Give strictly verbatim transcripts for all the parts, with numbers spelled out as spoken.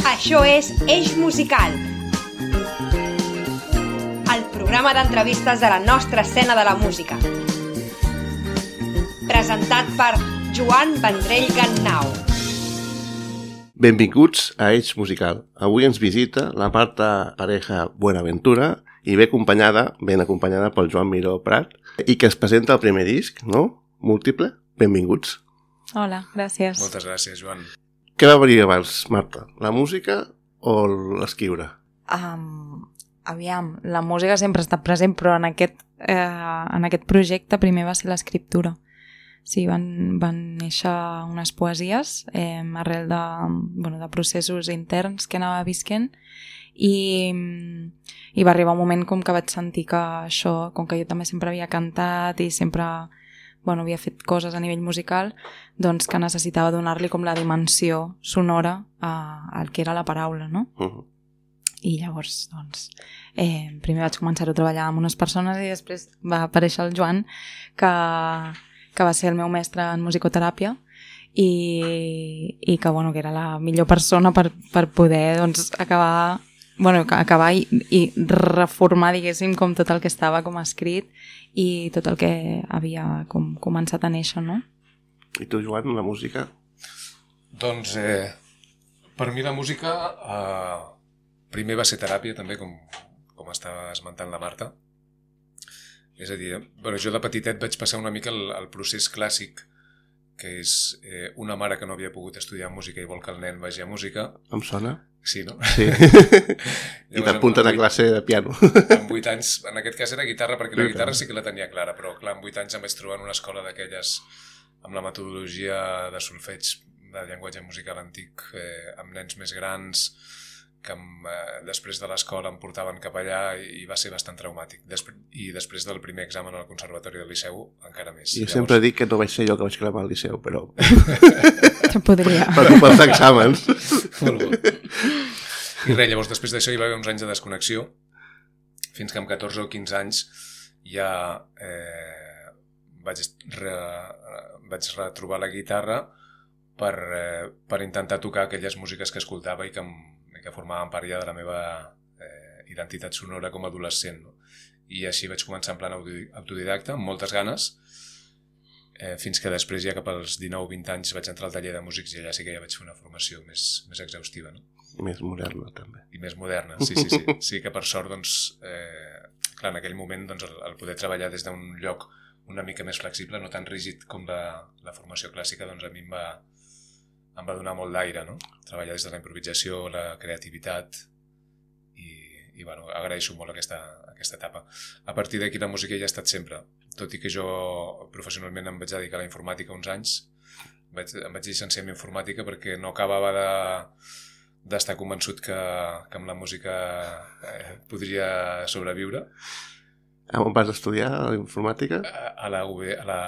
Això és Eix Musical, el programa d'entrevistes de la nostra escena de la música. Presentat per Joan Vendrell Gannau. Benvinguts a Eix Musical. Avui ens visita la Marta Pareja Buenaventura i ve acompanyada, ben acompanyada pel Joan Miró Prat, i que es presenta el primer disc, no? Múltiple. Benvinguts. Hola, gràcies. Moltes gràcies, Joan. Què va venir abans, Marta? La música o l'escriure? Um, aviam, la música sempre ha estat present, però en aquest, eh, en aquest projecte primer va ser l'escriptura. Sí, van, van néixer unes poesies eh, arrel de, bueno, de processos interns que anava visquent i, i va arribar un moment com que vaig sentir que això, com que jo també sempre havia cantat i sempre bueno, havia fet coses a nivell musical, doncs que necessitava donar-li com la dimensió sonora a, al que era la paraula, no? Uh-huh. I llavors, doncs, eh, primer vaig començar a treballar amb unes persones i després va aparèixer el Joan, que, que va ser el meu mestre en musicoteràpia i, i que, bueno, que era la millor persona per, per poder, doncs, acabar... Bueno, acabar i, i reformar, diguéssim, com tot el que estava com escrit i tot el que havia com començat a néixer, no? I tu, Joan, la música? Doncs, eh, per mi la música eh, primer va ser teràpia, també, com, com estava esmentant la Marta. És a dir, eh, bueno, jo de petitet vaig passar una mica el, el procés clàssic, que és eh, una mare que no havia pogut estudiar música i vol que el nen vagi a música. Em sona? Sí, no? Sí. I t'apunten a classe de piano. Amb vuit anys, en aquest cas era guitarra, perquè la guitarra sí que la tenia clara, però clar, amb vuit anys em vaig trobar en una escola d'aquelles amb la metodologia de solfeig de llenguatge musical antic, eh, amb nens més grans, que em, eh, després de l'escola em portaven cap allà i, i va ser bastant traumàtic. Després, I després del primer examen al Conservatori del Liceu, encara més. Jo Llavors... sempre dic que no vaig ser jo que vaig cremar al Liceu, però... Te podria. Per, pels exàmens. Molt bo. I res, llavors després d'això hi va haver uns anys de desconnexió, fins que amb catorze o quinze anys ja eh, vaig, re, vaig retrobar la guitarra per, eh, per intentar tocar aquelles músiques que escoltava i que, em, que formaven part ja de la meva eh, identitat sonora com a adolescent, no? I així vaig començar en plan autodidacta, amb moltes ganes, eh, fins que després ja cap als dinou o vint anys vaig entrar al taller de músics i allà sí que ja vaig fer una formació més, més exhaustiva, no? I més moderna, també. I més moderna, sí, sí, sí. Sí que per sort, doncs, eh, clar, en aquell moment, doncs, el, el poder treballar des d'un lloc una mica més flexible, no tan rígid com la, la formació clàssica, doncs a mi em va, em va donar molt d'aire, no? Treballar des de la improvisació, la creativitat i, i bueno, agraeixo molt aquesta, aquesta etapa. A partir d'aquí la música ja ha estat sempre, tot i que jo professionalment em vaig dedicar a la informàtica uns anys, vaig, em vaig llicenciar en informàtica perquè no acabava de... d'estar convençut que, que amb la música eh, podria sobreviure. On vas estudiar a la informàtica? A, a la U B, a la...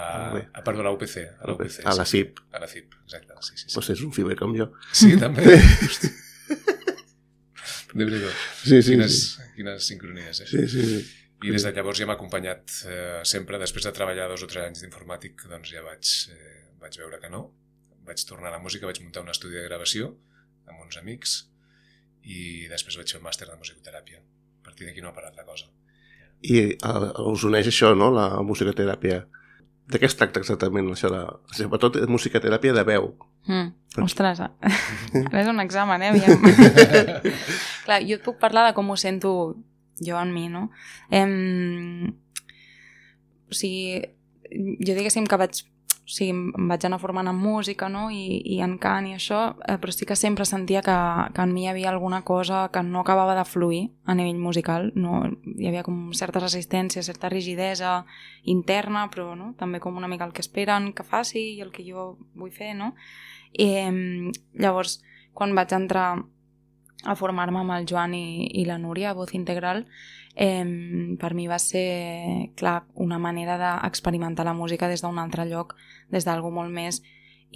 A, perdó, a la U P C. A la U P C, a la C I P. A la C I P, exacte. Sí, sí, sí. Pues és un fiber com jo. Sí, també. Déu-n'hi-do. Sí, sí, quines, sí. Quines sincronies, eh? Sí, sí, sí. I des de llavors ja m'ha acompanyat eh, sempre, després de treballar dos o tres anys d'informàtic, doncs ja vaig, eh, vaig veure que no. Vaig tornar a la música, vaig muntar un estudi de gravació amb uns amics i després vaig fer un màster de musicoteràpia. A partir d'aquí no ha parat la cosa. I uh, us uneix això, no?, la musicoteràpia. De què es tracta exactament això? La... Sobretot musicoteràpia de veu. Mm. Ostres, ara és un examen, eh? Aviam. Clar, jo et puc parlar de com ho sento jo en mi, no? Em... O sigui, jo diguéssim que vaig o sigui, em vaig anar formant en música, no? I, i en cant i això, eh, però sí que sempre sentia que, que en mi hi havia alguna cosa que no acabava de fluir a nivell musical, no? Hi havia com certa resistència, certa rigidesa interna, però no? També com una mica el que esperen que faci i el que jo vull fer, no? I eh, llavors, quan vaig entrar a formar-me amb el Joan i, i la Núria a Voz Integral, eh, per mi va ser, clar, una manera d'experimentar la música des d'un altre lloc, des d'algú molt més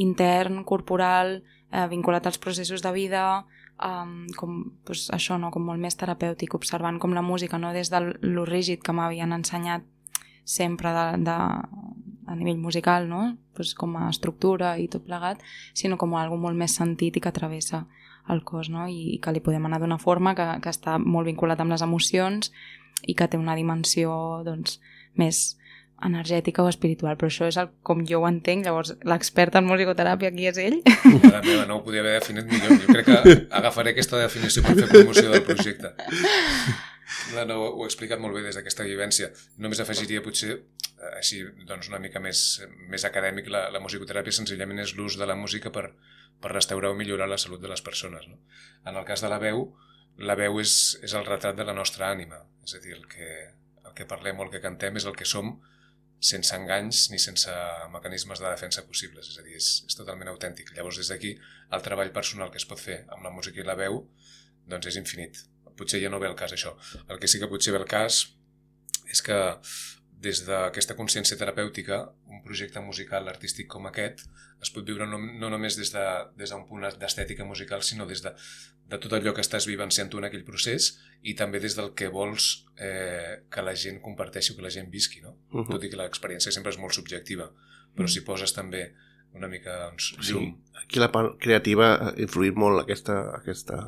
intern, corporal, eh, vinculat als processos de vida, eh, com pues, això, no? Com molt més terapèutic, observant com la música, no des de lo rígid que m'havien ensenyat sempre de, de, a nivell musical, no? Pues com a estructura i tot plegat, sinó com a algo molt més sentit i que travessa el cos, no? I, i que li podem anar d'una forma que, que està molt vinculat amb les emocions i que té una dimensió doncs, més energètica o espiritual, però això és el, com jo ho entenc. Llavors l'expert en musicoteràpia aquí és ell. Mare meva, no ho podia haver definit millor. Jo crec que agafaré aquesta definició per fer promoció del projecte. No, no, ho he explicat molt bé des d'aquesta vivència. Només afegiria potser així doncs una mica més, més acadèmic, la, la musicoteràpia senzillament és l'ús de la música per, per restaurar o millorar la salut de les persones, no? En el cas de la veu, la veu és, és el retrat de la nostra ànima, és a dir, el que, el que parlem o el que cantem és el que som sense enganys ni sense mecanismes de defensa possibles, és a dir, és, és totalment autèntic. Llavors des d'aquí el treball personal que es pot fer amb la música i la veu doncs és infinit. Potser ja no ve el cas això. El que sí que potser ve el cas és que des d'aquesta consciència terapèutica, un projecte musical artístic com aquest es pot viure no, no només des d'un de, des punt d'estètica musical, sinó des de, de tot allò que estàs vivenciant tu en aquell procés i també des del que vols eh, que la gent comparteixi o que la gent visqui, no? Uh-huh. Tot i que l'experiència sempre és molt subjectiva, però si poses també una mica doncs, llum. Sí, aquí la part creativa ha influït molt aquesta... aquesta...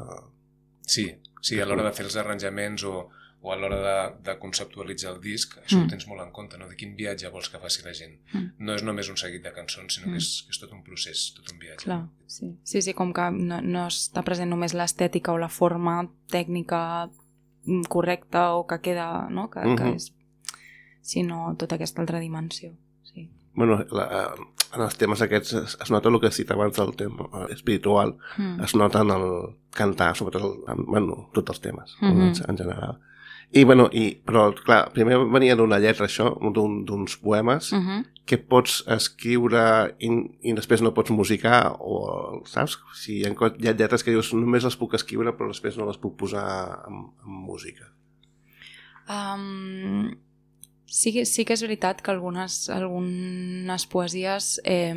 Sí, sí, a l'hora de fer els arranjaments o, o a l'hora de, de conceptualitzar el disc, això mm. ho tens molt en compte, no? De quin viatge vols que faci la gent. Mm. No és només un seguit de cançons, sinó mm. que, és, que és tot un procés, tot un viatge. Clar, sí, sí, sí, com que no, no està present només l'estètica o la forma tècnica correcta o que queda, no? Que, mm-hmm. que és, sinó tota aquesta altra dimensió, sí. Bueno, la, en els temes aquests es, es nota el que has dit abans del tema espiritual, mm. es nota en el cantar, sobretot el, en, bueno, tots els temes, mm-hmm. en, en general. I, bueno, i, però, clar, primer venia d'una lletra això, d'uns poemes, mm-hmm. que pots escriure i, i després no pots musicar, o, saps? Si hi ha, hi ha lletres que dius, només les puc escriure, però després no les puc posar en, en música. Um... Sí, sí que és veritat que algunes, algunes poesies eh,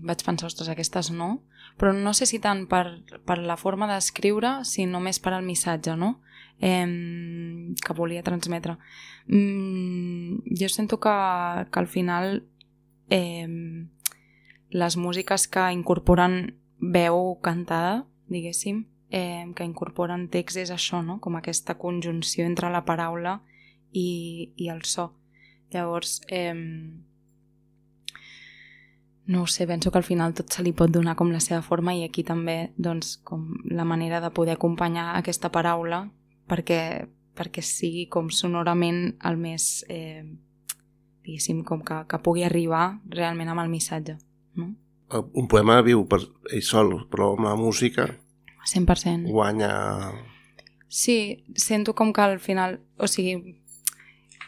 vaig pensar, ostres, aquestes no, però no sé si tant per, per la forma d'escriure, sinó més per al missatge, no? Eh, que volia transmetre. Mm, jo sento que, que al final eh, les músiques que incorporen veu cantada, diguéssim, eh, que incorporen text és això, no? Com aquesta conjunció entre la paraula i, i el so. Llavors, eh, no ho sé, penso que al final tot se li pot donar com la seva forma i aquí també doncs, com la manera de poder acompanyar aquesta paraula perquè, perquè sigui com sonorament el més, eh, diguéssim, com que, que pugui arribar realment amb el missatge. No? Un poema viu per ell sol, però amb la música cent per cent guanya... Sí, sento com que al final, o sigui...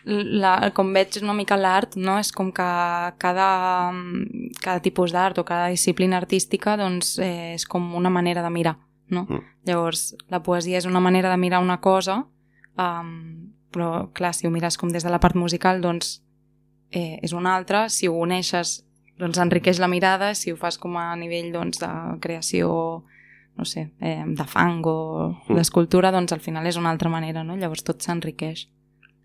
La, com veig una mica l'art, no? És com que cada, cada tipus d'art o cada disciplina artística doncs, eh, és com una manera de mirar, no? Mm. Llavors, la poesia és una manera de mirar una cosa, um, però clar, si ho mires com des de la part musical, doncs eh, és una altra. Si ho uneixes, doncs enriqueix la mirada. Si ho fas com a nivell doncs, de creació, no sé, eh, de fang o mm. d'escultura, doncs al final és una altra manera, no? Llavors tot s'enriqueix.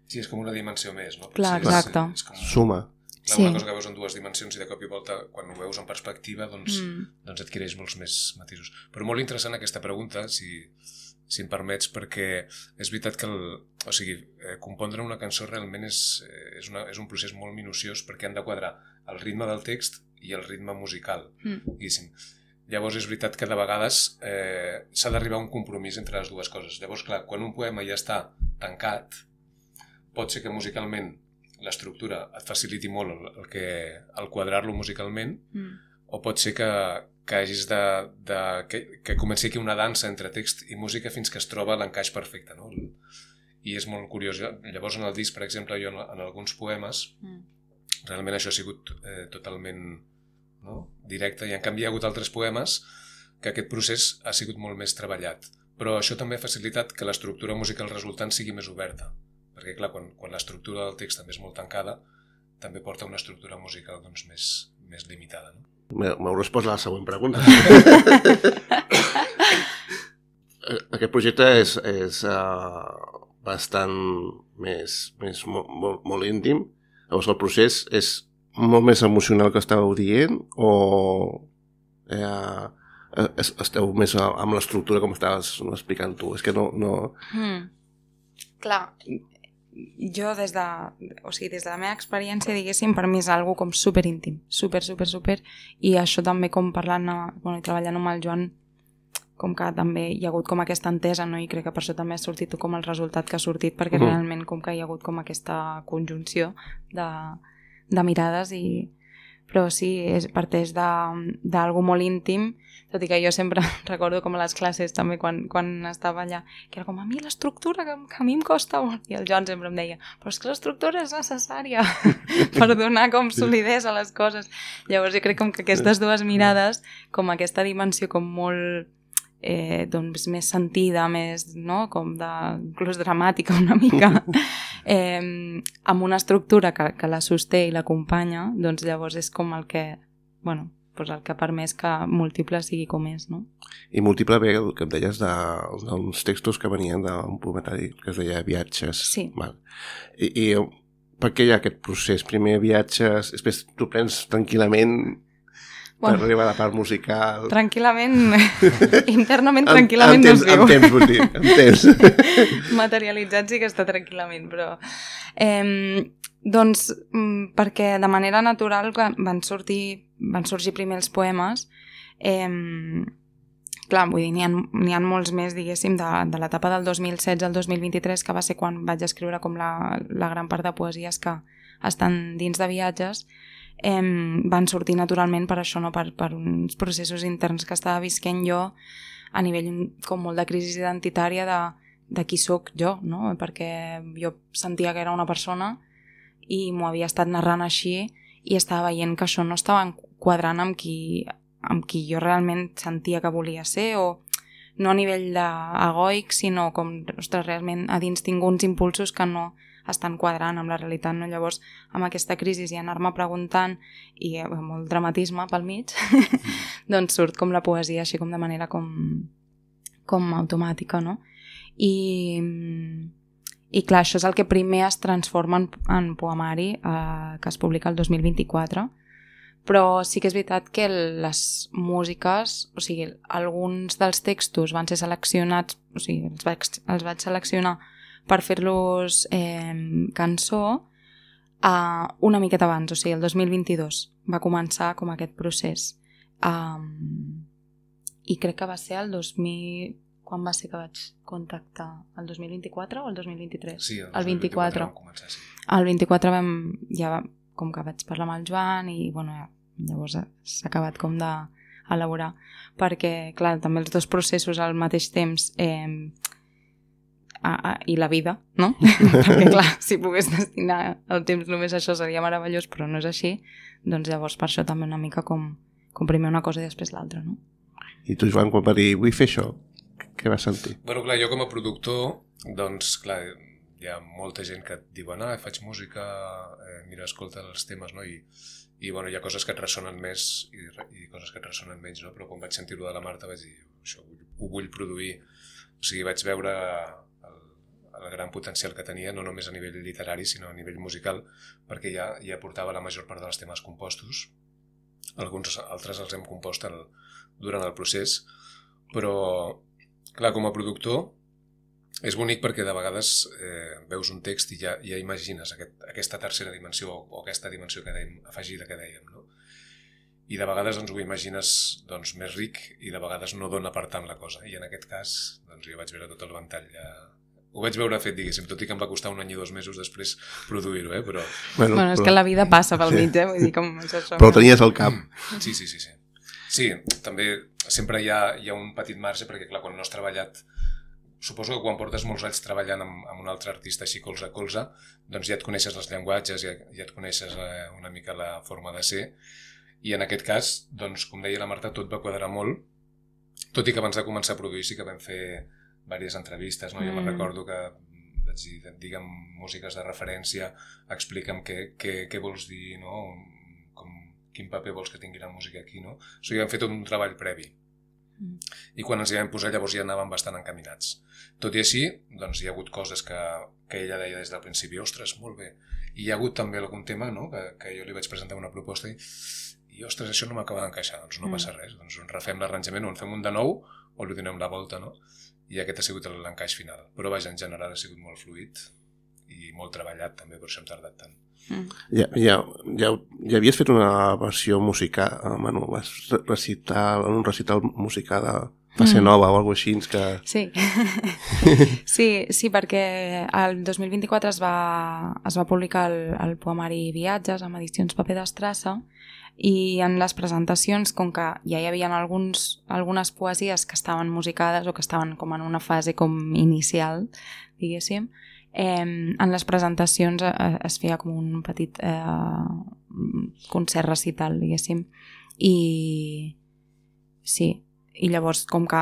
Sí, és com una dimensió més, no? Clar, exacte. És, és com suma. Clar, sí. Una cosa que veus en dues dimensions i de cop i volta, quan ho veus en perspectiva, doncs, mm. doncs adquireix molts més matisos. Però molt interessant aquesta pregunta, si, si em permets, perquè és veritat que el, o sigui, eh, compondre una cançó realment és, és, una, és un procés molt minuciós perquè han de quadrar el ritme del text i el ritme musical, mm. diguéssim. Llavors és veritat que de vegades eh, s'ha d'arribar a un compromís entre les dues coses. Llavors, clar, quan un poema ja està tancat, pot ser que musicalment l'estructura et faciliti molt el, el, que, el quadrar-lo musicalment, mm. o pot ser que, que hagis de, de que, que comenci aquí una dansa entre text i música fins que es troba l'encaix perfecte, no? I és molt curiós. Llavors en el disc, per exemple, jo en, en alguns poemes mm. realment això ha sigut eh, totalment, no? directe, i en canvi hi ha hagut altres poemes que aquest procés ha sigut molt més treballat, però això també ha facilitat que l'estructura musical resultant sigui més oberta. Perquè, clar, quan, quan l'estructura del text també és molt tancada, també porta una estructura musical doncs, més, més limitada. No? M'heu respost a la següent pregunta. Aquest projecte és, és uh, bastant més, més molt, molt, molt íntim. Llavors, el procés és molt més emocional que estàveu dient o eh, esteu més amb l'estructura com estaves explicant tu. És que no... no... Mm. Clar, jo des de, o sigui, des de la meva experiència, diguéssim, per mi és algo com super íntim, super, super, super, i això també com parlant, bueno, treballant amb el Joan, com que també hi ha hagut com aquesta entesa, no? I crec que per això també ha sortit com el resultat que ha sortit, perquè uh-huh. realment com que hi ha hagut com aquesta conjunció de, de mirades, i però sí, és, parteix d'algo molt íntim, tot i que jo sempre recordo com a les classes també quan, quan estava allà, que era com a mi l'estructura que, que a mi em costa molt, i el Joan sempre em deia, però és que l'estructura és necessària per donar com solidesa a les coses. Llavors jo crec com que aquestes dues mirades, com aquesta dimensió com molt Eh, doncs més sentida, més, no? Com de, inclús dramàtica una mica, eh, amb una estructura que, que la sosté i l'acompanya, doncs llavors és com el que, bueno, doncs el que ha permès que Múltiple sigui com és, no? I Múltiple ve el que em deies d'uns textos que venien d'un poematari que es deia Viatges. Sí. Val. I, i per què hi ha aquest procés? Primer viatges, després tu prens tranquil·lament... Bueno, per arribar a la part musical... Tranquil·lament, internament tranquil·lament no es viu. En temps, vull dir, en temps. Materialitzat sí que està tranquil·lament, però... Eh, doncs, perquè de manera natural van sortir, van sorgir primer els poemes, eh, clar, vull dir, n'hi ha, n'hi ha molts més, diguéssim, de, de l'etapa del dos mil setze al dos mil vint-i-tres, que va ser quan vaig escriure com la, la gran part de poesies que estan dins de Viatges, Eh, van sortir naturalment per això, no? per, per uns processos interns que estava visquent jo a nivell com molt de crisi identitària de, de qui sóc jo, no? Perquè jo sentia que era una persona i m'ho havia estat narrant així i estava veient que això no estava quadrant amb qui, amb qui jo realment sentia que volia ser, o no a nivell egoic, sinó com, ostres, realment a dins tinc uns impulsos que no estan quadrant amb la realitat, no? Llavors, amb aquesta crisi i anar-me preguntant, i amb molt dramatisme pel mig, doncs surt com la poesia, així com de manera com, com automàtica, no? I, i clar, això és el que primer es transforma en, en poemari, eh, que es publica el dos mil vint-i-quatre, però sí que és veritat que les músiques, o sigui, alguns dels textos van ser seleccionats, o sigui, els vaig, els vaig seleccionar per fer-los eh, cançó eh, una miqueta abans, o sigui, el dos mil vint-i-dos va començar com aquest procés. Um, I crec que va ser el dos mil... Quan va ser que vaig contactar? El dos mil vint-i-quatre o el dos mil vint-i-tres? Sí, el, el vint-i-quatre. vam començar, sí. El vint-i-quatre vam, ja va, com que vaig parlar amb el Joan i bueno, llavors s'ha acabat com d'elaborar, perquè clar, també els dos processos al mateix temps eh, A, a, i la vida, no? Perquè clar, si pogués destinar el temps només a això seria meravellós, però no és així, doncs llavors per això també una mica com, com primer una cosa i després l'altra, no? I tu, Joan, quan va dir vull fer això, què vas sentir? Bueno, clar, jo com a productor, doncs clar, hi ha molta gent que et diuen, ah, faig música, eh, mira, escolta els temes, no? I, i bueno, hi ha coses que et ressonen més i, i coses que et ressonen menys, no? Però quan vaig sentir-ho de la Marta vaig dir, això ho vull produir, o sigui, vaig veure el gran potencial que tenia, no només a nivell literari, sinó a nivell musical, perquè ja, ja portava la major part dels temes compostos. Alguns altres els hem compost el, durant el procés, però, clar, com a productor, és bonic perquè de vegades eh, veus un text i ja, ja imagines aquest, aquesta tercera dimensió o aquesta dimensió que dèiem, afegida que dèiem, no? I de vegades doncs, ho imagines doncs, més ric i de vegades no dona per tant la cosa. I en aquest cas doncs, jo vaig veure tot el ventall ja... Ho vaig veure fet, diguéssim, tot i que em va costar un any i dos mesos després produir-ho, eh? Però... Bueno, bueno és però... que la vida passa pel mig, eh? Vull dir, com això... Però ho tenies al cap. Sí, sí, sí, sí. Sí, també sempre hi ha, hi ha un petit marge, perquè clar, quan no has treballat... Suposo que quan portes molts anys treballant amb, amb un altre artista així colze a colze, doncs ja et coneixes els llenguatges, ja, ja et coneixes eh, una mica la forma de ser, i en aquest cas, doncs, com deia la Marta, tot va quadrar molt, tot i que abans de començar a produir sí que vam fer diverses entrevistes, no? Jo mm. me'n recordo que vaig dir, digue'm músiques de referència, explica'm què, què, què vols dir, no? Com, quin paper vols que tingui la música aquí, no? O sigui, hem fet tot un treball previ. Mm. I quan ens hi vam posar llavors ja anàvem bastant encaminats. Tot i així, doncs hi ha hagut coses que, que ella deia des del principi, ostres, molt bé. I hi ha hagut també algun tema, no? que, que jo li vaig presentar una proposta i, i ostres, això no m'acaba d'encaixar, doncs no passa res, doncs refem l'arranjament o en fem un de nou o li donem la volta, no? I aquest ha sigut l'encaix final. Però vaja, en general ha sigut molt fluid i molt treballat també, per això hem tardat tant. Mm. Ja, ja, ja, ja havies fet una versió musical, bueno, vas recitar en un recital musical de Fase Nova mm. o alguna cosa així que... Sí. sí, sí, perquè el dos mil vint-i-quatre es va, es va publicar el, el poemari Viatges amb edicions paper d'Estrassa i en les presentacions, com que ja hi havia alguns, algunes poesies que estaven musicades o que estaven com en una fase com inicial, diguéssim, eh, en les presentacions eh, es feia com un petit eh, concert recital, diguéssim, i sí, i llavors com que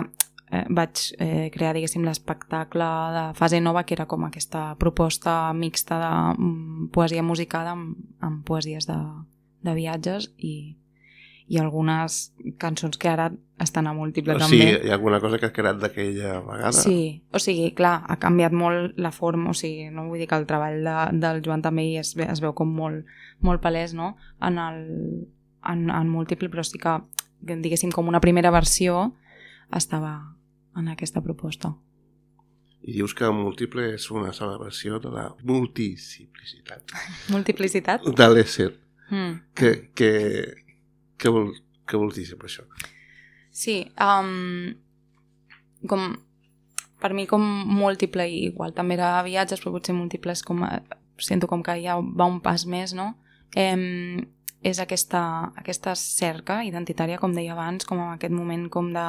eh, vaig eh, crear, diguéssim, l'espectacle de Fase Nova, que era com aquesta proposta mixta de um, poesia musicada amb, amb poesies de, de viatges i, i algunes cançons que ara estan a múltiple o també. Sí, hi ha alguna cosa que ha quedat d'aquella vegada? Sí, o sigui, clar, ha canviat molt la forma, o sigui, no vull dir que el treball de, del Joan també es, es veu com molt, molt palès, no?, en, el, en, en múltiple, però sí que diguéssim, com una primera versió estava en aquesta proposta. I dius que múltiple és una sola versió de la multiplicitat. Multiplicitat? De l'ésser. Mm. Que, que, que, vol, que vols dir per això? Sí, um, com, per mi com múltiple, i igual també era viatges, però potser múltiples com, sento com que ja va un pas més, no? Eh, és aquesta, aquesta cerca identitària, com deia abans, com en aquest moment com de,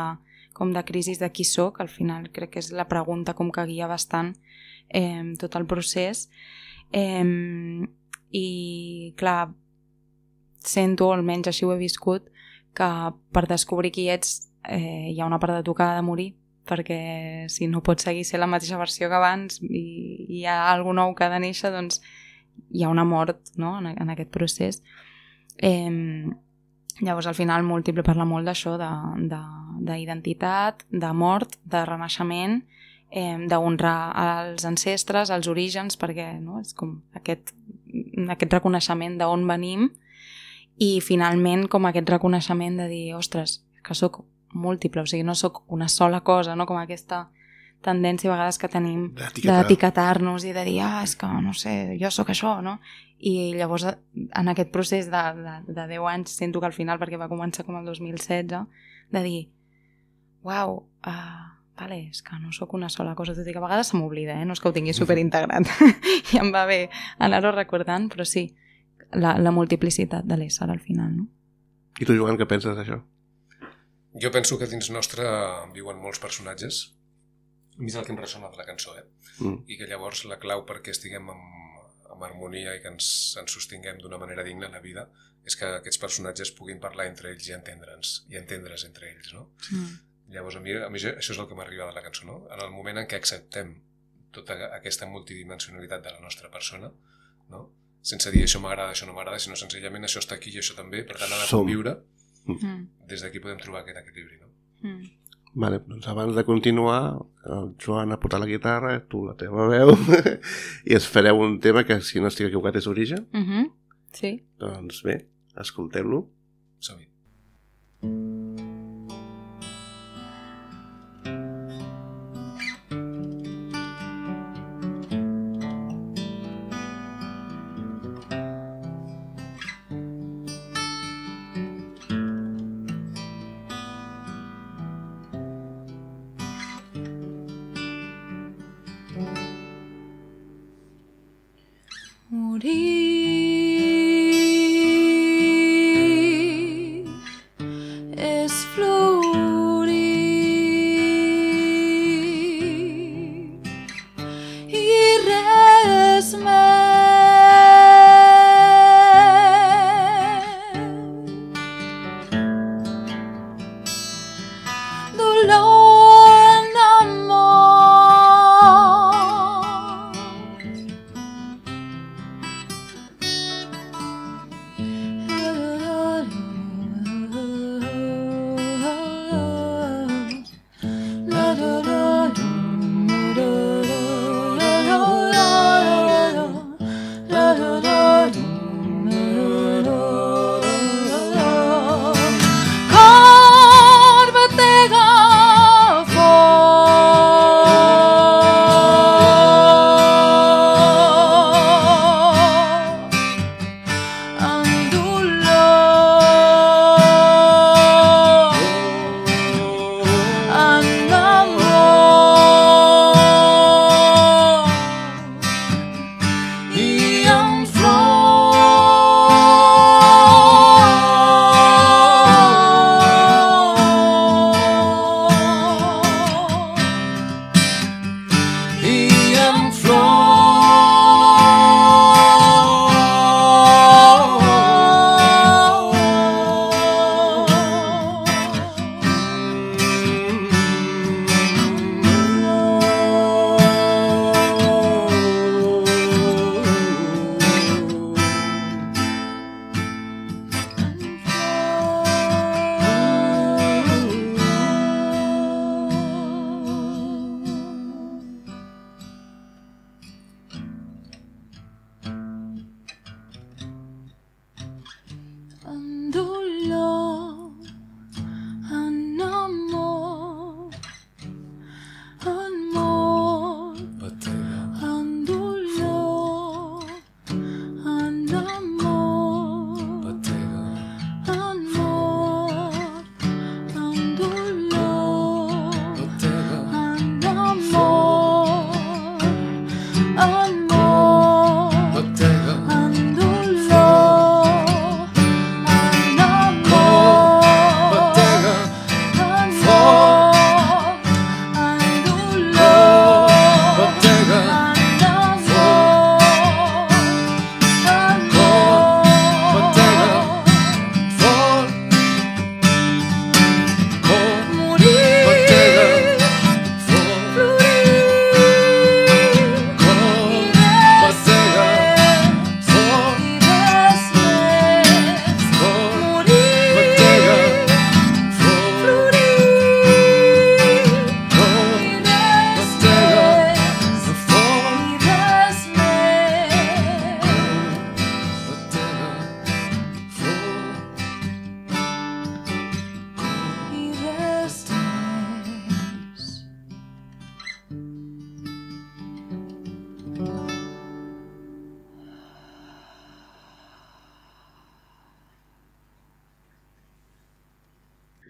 com de crisi de qui soc, al final crec que és la pregunta com que guia bastant eh, tot el procés. Eh, I, clar, sento, almenys així ho he viscut, que per descobrir qui ets eh, hi ha una part de tu que ha de morir, perquè si no pots seguir ser la mateixa versió que abans i, i hi ha alguna nou que ha de néixer, doncs hi ha una mort, no?, en, en aquest procés. Eh, llavors al final múltiple parla molt d'això, d'identitat, de, de mort, de renaixement, eh, d'honrar als ancestres, als orígens, perquè no, és com aquest, aquest reconeixement d'on venim i finalment com aquest reconeixement de dir, ostres, que sóc múltiple, o sigui, no sóc una sola cosa, no? Com aquesta tendència a vegades que tenim d'etiquetar-nos i de dir, ah, és que no sé, jo sóc això, no? I llavors en aquest procés de, de, de deu anys sento que al final, perquè va començar com el dos mil setze, de dir, uau, uh, vale, és que no sóc una sola cosa, tot i que a vegades se m'oblida, eh? No és que ho tingui superintegrat i em va bé anar-ho recordant, però sí, la, la multiplicitat de l'ésser al final, no? I tu, Joan, què penses d'això? Jo penso que dins nostre viuen molts personatges. A mi és el que em ressona de la cançó, eh? Mm. I que llavors la clau perquè estiguem en, en harmonia i que ens, ens sostinguem d'una manera digna a la vida és que aquests personatges puguin parlar entre ells i entendre'ns, i entendre's entre ells, no? Mm. Llavors a mi, a mi això és el que m'arriba de la cançó, no? En el moment en què acceptem tota aquesta multidimensionalitat de la nostra persona, no? Sense dir això m'agrada, això no m'agrada, sinó senzillament això està aquí i això també, per tant ha de conviure. Mm. Des d'aquí podem trobar aquest equilibri, no? Mm. Vale, doncs abans de continuar, el Joan ha portat la guitarra, tu la teva veu, i es fareu un tema que, si no estic equivocat, és Origen. Mm-hmm. Sí. Doncs bé, escoltem-lo. Som-hi.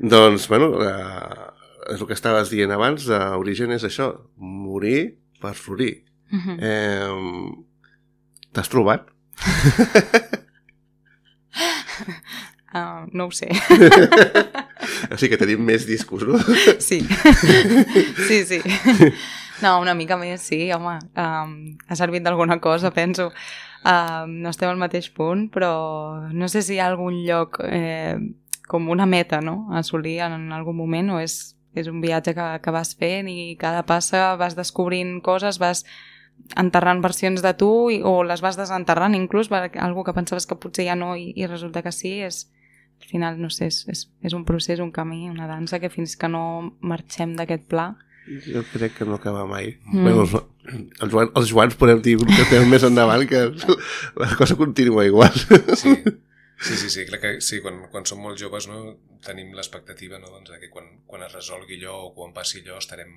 Doncs, bueno, eh, és el que estaves dient abans, d'origen és això, morir per florir. Mhm. Eh, T'has trobat? Uh, no ho sé. O sigui que tenim més discos, no? Sí. Sí, sí. No, una mica més, sí, home. Um, ha servit d'alguna cosa, penso. Um, no estem al mateix punt, però no sé si hi ha algun lloc eh, com una meta, no?, a assolir en algun moment, o és, és un viatge que, que vas fent i cada passa vas descobrint coses, vas enterrant versions de tu i, o les vas desenterrant inclús, algo que pensaves que potser ja no i, i resulta que sí. És, al final, no sé, és, és, és un procés, un camí, una dansa que fins que no marxem d'aquest pla... Jo crec que no acaba mai. Mm. Bueno, els, els, Joan, els Joans podem dir que estem més endavant, que la cosa continua igual. Sí, sí, sí, sí, crec que sí, quan, quan som molt joves, no, tenim l'expectativa, no, doncs, que quan, quan es resolgui allò o quan passi allò estarem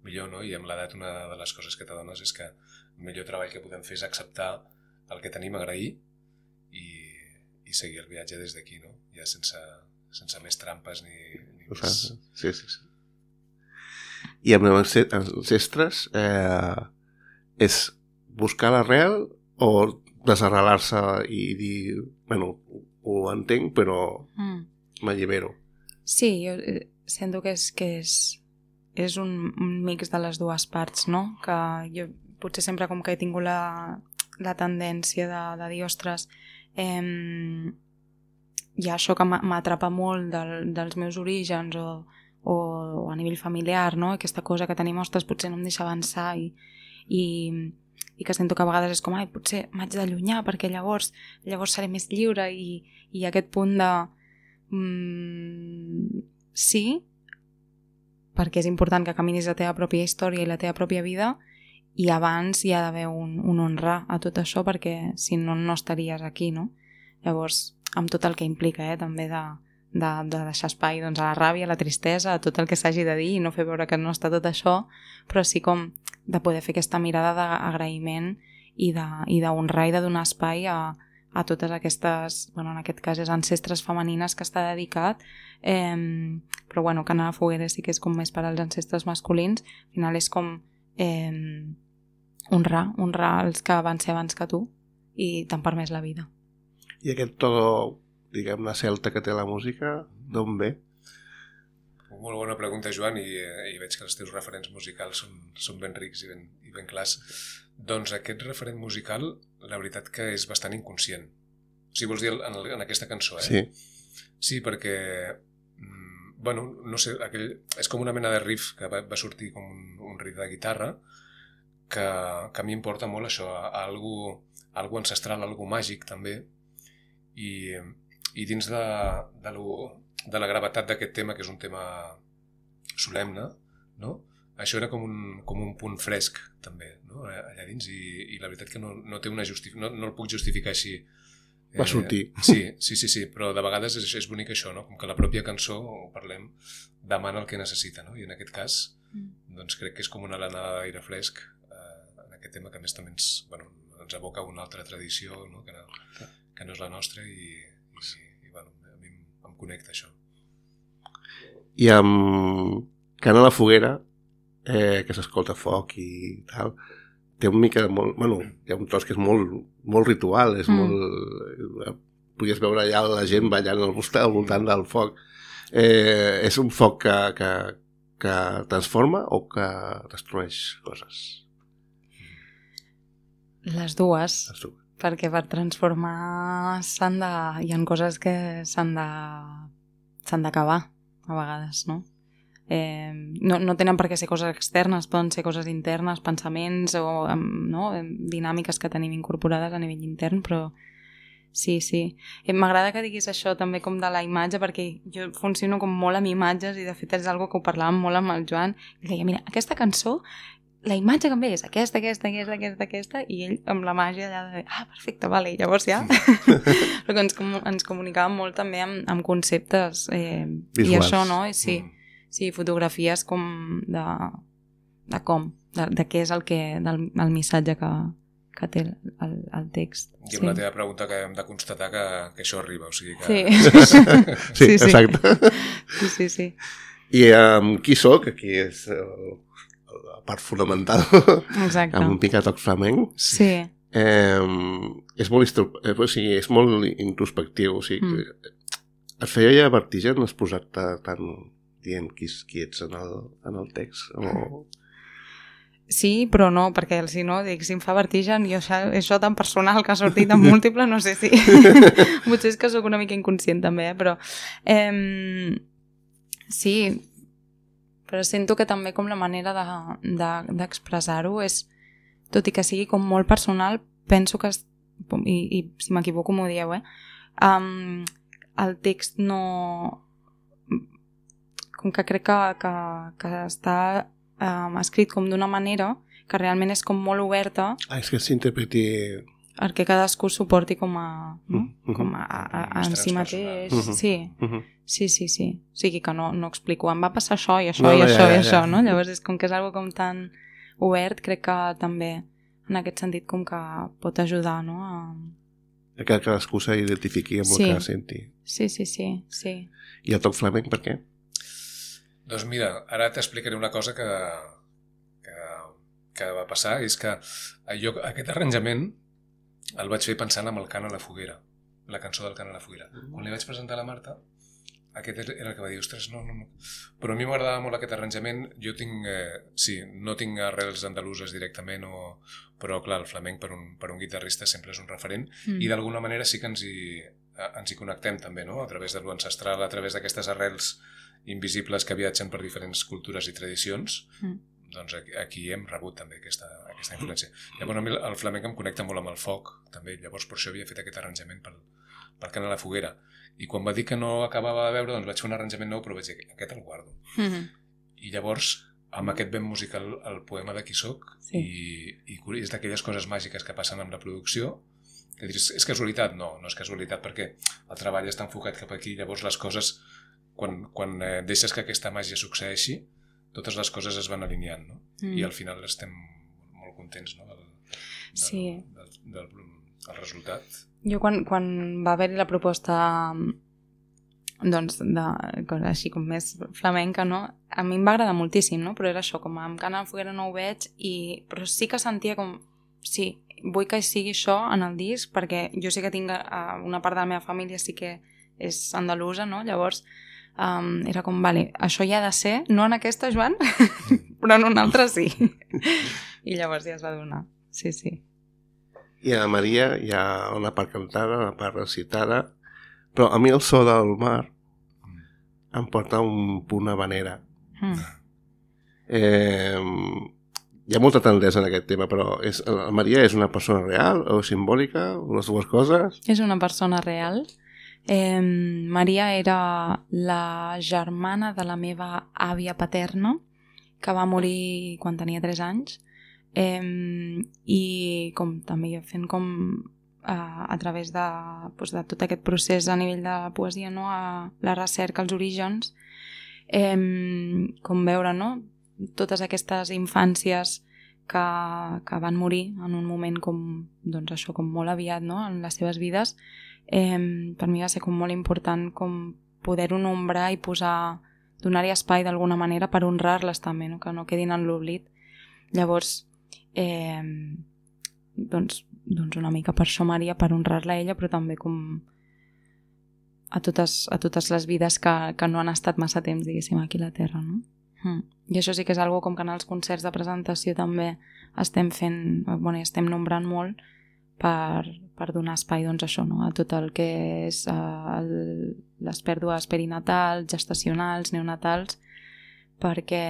millor, no? I amb l'edat una de les coses que t'adones és que el millor treball que podem fer és acceptar el que tenim, agrair i, i seguir el viatge des d'aquí, no? Ja sense, sense més trampes ni, ni més... Sí, sí, sí. I amb els ancestres eh, és buscar l'arrel o desarrelar-se i dir, bueno, ho entenc, però Mm. m'allibero. Sí, jo eh, sento que és, que és, és un, un mix de les dues parts, no? Que jo potser sempre com que he tingut la, la tendència de, de dir, ostres, eh, hi ha això que m'atrapa molt del, dels meus orígens o, o, o a nivell familiar, no? Aquesta cosa que tenim, ostres, potser no em deixa avançar i, i, i que sento que a vegades és com, ai, potser m'haig d'allunyar perquè llavors llavors seré més lliure i, i aquest punt de mm, sí, perquè és important que caminis la teva pròpia història i la teva pròpia vida, i abans hi ha d'haver un, un honrar a tot això, perquè si no, no estaries aquí, no? Llavors, amb tot el que implica, eh, també de, de, de deixar espai, doncs, a la ràbia, a la tristesa, a tot el que s'hagi de dir i no fer veure que no està tot això, però sí com de poder fer aquesta mirada d'agraïment i d'honrar i de donar espai a, a totes aquestes, bueno, en aquest cas és ancestres femenines que està dedicat, eh, però bueno, que anar a fogueres sí que és com més per als ancestres masculins, al final és com eh, honrar, honrar els que van ser abans que tu i t'han permès la vida. I aquest to, diguem-ne, celta que té la música, d'on ve? Molt bona pregunta, Joan, i, i veig que els teus referents musicals són, són ben rics i ben, i ben clars. Doncs aquest referent musical, la veritat que és bastant inconscient. O sigui, vols dir en, el, en aquesta cançó, eh? Sí. Sí, perquè, mm, bueno, no sé, aquell, és com una mena de riff que va, va sortir com un, un riff de guitarra que, que a mi em porta molt això, a, a algo, a algo ancestral, a algo màgic també, i, i dins de, de, lo, de la gravetat d'aquest tema, que és un tema solemne, no? Això era com un, com un punt fresc també, no? Allà dins, i, i la veritat que no, no té una justificació, no, no el puc justificar així. Va sortir. Eh, sí, sí, sí, sí, però de vegades és, és bonic això, no? Com que la pròpia cançó, ho parlem, demana el que necessita, no? I en aquest cas, doncs crec que és com una alenada d'aire fresc eh, en aquest tema, que a més també ens, bueno, ens aboca una altra tradició, no? Que no, que no és la nostra, i, i, i bueno, a mi em, em connecta això. I amb Cant a la foguera, eh, que s'escolta foc i tal, té una mica de molt... Bueno, hi ha un tros que és molt, molt ritual, és mm. molt... Podies veure allà la gent ballant al voltant, al voltant del foc. Eh, és un foc que, que, que transforma o que destrueix coses? Les dues. Les dues. Perquè per transformar s'han de... hi ha coses que s'han de... s'han d'acabar, a vegades, no? Eh, no, no tenen per què ser coses externes, poden ser coses internes, pensaments o no? Dinàmiques que tenim incorporades a nivell intern, però sí, sí. Eh, m'agrada que diguis això també com de la imatge, perquè jo funciono com molt amb imatges i de fet és algo que ho parlàvem molt amb el Joan i deia, mira, aquesta cançó, la imatge que em ve és aquesta, aquesta, aquesta, aquesta, aquesta, i ell amb la màgia allà de, ah, perfecte, vale, llavors ja. Però que ens, ens comunicàvem molt també amb, amb conceptes eh, i això, no? I sí. Mm. Sí, fotografies com de, de com, de, de què és el, que, del, el missatge que, que té el, el, el text. I amb sí. la teva pregunta que hem de constatar que, que això arriba, o sigui que... Sí, sí, sí, exacte. Sí, sí, sí. I amb um, qui soc? Aquí és el, la part fonamental. Exacte. Amb un picat toc flamenc. Sí. Eh, és molt eh, o sigui, és molt introspectiu, o sigui, mm. et feia ja vertigen exposar-te tant dient qui, qui ets en el, en el text o... Sí, però no, perquè si no, dic, si em fa vertigen i això, això tan personal que ha sortit en múltiple, no sé si... Potser és que sóc una mica inconscient també, eh? Però... Eh, sí, però sento que també com la manera de, de, d'expressar-ho és, tot i que sigui com molt personal, penso que, es, i, i si m'equivoco m'ho dieu, eh? Um, el text no... Com que crec que, que, que està um, escrit com d'una manera que realment és com molt oberta. Ah, és que s'interpreti... Perquè cadascú s'ho porti com a... No? Uh-huh. Com a, a, a, a en si mateix. Uh-huh. Sí. Uh-huh. sí, sí, sí. O sigui que no, no explico, em va passar això i això no, i no, això ja, i ja, això, ja. no? Llavors és com que és algo com tan obert, crec que també en aquest sentit com que pot ajudar, no? A... Que cadascú s'identifiqui amb sí. el que senti. Sí, sí, sí, sí. I el toc flamenc, per què? Doncs mira, ara t'explicaré una cosa que, que, que va passar, és que jo, aquest arranjament el vaig fer pensant en el cant a la foguera, la cançó del cant a la foguera. Quan li vaig presentar a la Marta, aquest era el que va dir, ostres, no, no, no. Però a mi m'agradava molt aquest arranjament. Jo tinc, eh, sí, no tinc arrels andaluses directament, o, però clar, el flamenc per un, per un guitarrista sempre és un referent, mm. i d'alguna manera sí que ens hi, ens hi connectem també, no? A través de l'ancestral, a través d'aquestes arrels invisibles que viatgen per diferents cultures i tradicions, mm. doncs aquí, aquí hem rebut també aquesta, aquesta influència. Llavors a mi el flamenc em connecta molt amb el foc, també, llavors per això havia fet aquest arranjament pel, pel cant a la foguera. I quan va dir que no acabava de veure, doncs vaig fer un arranjament nou, però vaig dir, aquest el guardo. Mm-hmm. I llavors, amb aquest vent musical, el poema de Qui soc, sí. i, i és d'aquelles coses màgiques que passen amb la producció, que dius, és casualitat? No, no és casualitat, perquè el treball està enfocat cap aquí, llavors les coses, quan, quan eh, deixes que aquesta màgia succeeixi, totes les coses es van alineant, no? Mm. I al final estem molt contents, no? Del, del, sí. del, del, del, del resultat. Jo quan, quan va haver-hi la proposta doncs, de, així com més flamenca, no? A mi em va agradar moltíssim, no? Però era això, com amb Cant a la foguera no ho veig, i... però sí que sentia com, sí, vull que sigui això en el disc, perquè jo sí que tinc una part de la meva família sí que és andalusa, no? Llavors um, era com, vale, això hi ha de ser, no en aquesta, Joan, però en una altra sí. I llavors ja es va donar, sí, sí. I a Maria hi ha una part cantada, una part recitada, però a mi el so del mar em porta un punt habanera. Mm. Eh, hi ha molta tendresa en aquest tema, però és, la Maria és una persona real o simbòlica, o les dues coses? És una persona real. Eh, Maria era la germana de la meva àvia paterna, que va morir quan tenia tres anys, Eh, i com també fent com a, a través de, doncs, de tot aquest procés a nivell de la poesia, no? A la recerca, als orígens, eh, com veure, no? Totes aquestes infàncies que, que van morir en un moment com, doncs això, com molt aviat, no? En les seves vides, eh, per mi va ser com molt important com poder-ho nombrar i posar, donar-hi espai d'alguna manera per honrar-les també, no? Que no quedin en l'oblit. Llavors Eh, doncs, doncs una mica per això Maria, per honrar-la a ella, però també com a totes, a totes les vides que, que no han estat massa temps, diguéssim, aquí a la Terra, no? Mm. I això sí que és algo com que en els concerts de presentació també estem fent, bueno, estem nombrant molt per, per donar espai, doncs això, no? A tot el que és uh, el, les pèrdues perinatals, gestacionals, neonatals, perquè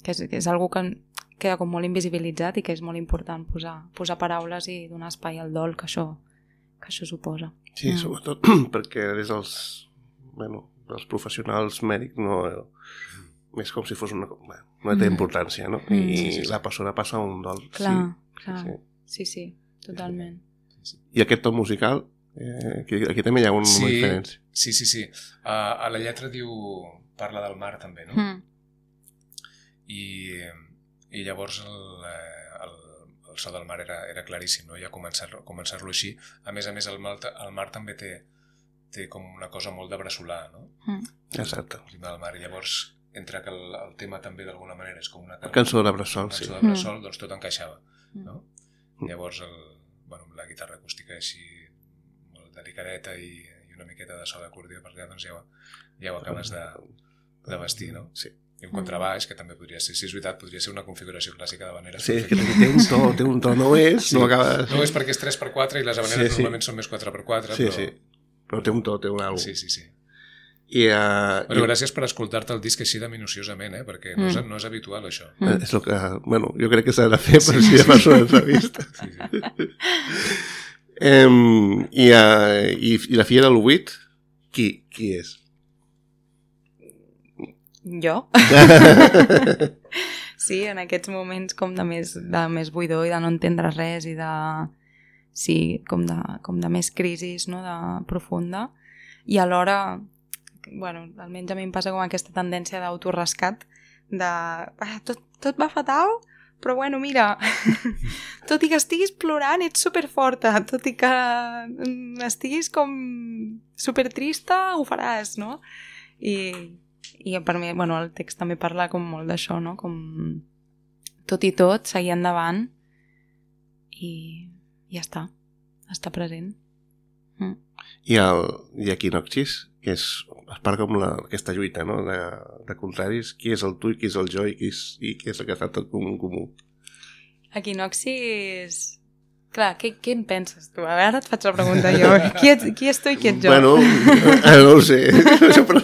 que és, que és algo que queda com molt invisibilitzat i que és molt important posar, posar paraules i donar espai al dol que això, que això suposa. Sí, mm. sobretot perquè des dels, bueno, dels professionals mèdics no, és com si fos una... Bueno, no té importància, no? Mm. I sí, sí, sí. La persona passa un dol. Clar, sí, clar. Sí, sí, sí, totalment. Sí, sí. I aquest to musical, eh, aquí, aquí també hi ha un, sí, una diferència. Sí, sí, sí. Uh, a la lletra diu... Parla del mar també, no? Mm. I... I llavors el, el, el el so del mar era, era claríssim, no? Ja començar-lo començar així. A més a més, el mar, el mar també té, té com una cosa molt de bressolar, no? Mm. Exacte. El ritme del mar. I llavors, entre que el, el tema també d'alguna manera és com una cançó, Cançó de bressol, cançó sí. de bressol, doncs tot encaixava, no? Mm. Llavors, el, bueno, la guitarra acústica així molt delicadeta i, i una miqueta de so d'acordió per allà, doncs ja, ho- ja ho acabes de, de vestir, no? Sí. I un contrabaix, que també podria ser, si és veritat, podria ser una configuració clàssica d'habaneres. Sí, és que té un to, té un to, no és, Sí. no acaba... No és perquè és tres per quatre i les habaneres Sí, sí. normalment són més quatre per quatre, Sí, però... sí, però té un to, té un algo. Sí, sí, sí. I, uh, Bueno, gràcies per escoltar-te el disc així de minuciosament, eh? Perquè no és, no és habitual, això. i, és el que, bueno, jo crec que s'ha de fer per si de persona entrevista. Sí, sí. Um, i, uh, i, I la filla del vuit, qui, qui és? Jo? Sí, en aquests moments com de més, de més buidor i de no entendre res i de... Sí, com de, com de més crisis, no?, de profunda. I alhora, bueno, almenys a mi em passa com aquesta tendència d'autorescat, de... "Ah, tot, tot va fatal, però bueno, mira, tot i que estiguis plorant, ets superforta, tot i que mm, estiguis com supertrista, ho faràs, no?" I, i per mi, bueno, el text també parla com molt d'això, no? Com tot i tot, seguir endavant i ja està, està present. Mm. I, el, i Equinoxis, que és, es parla com la, aquesta lluita, no?, de, de contraris, qui és el tu i qui és el jo i qui és, i qui és el que està tot comú en comú. Equinoxis... Clar, què, què en penses tu? A veure, ara et faig la pregunta jo. Qui, ets, qui és tu i qui ets jo? Bueno, eh, no ho sé. Però...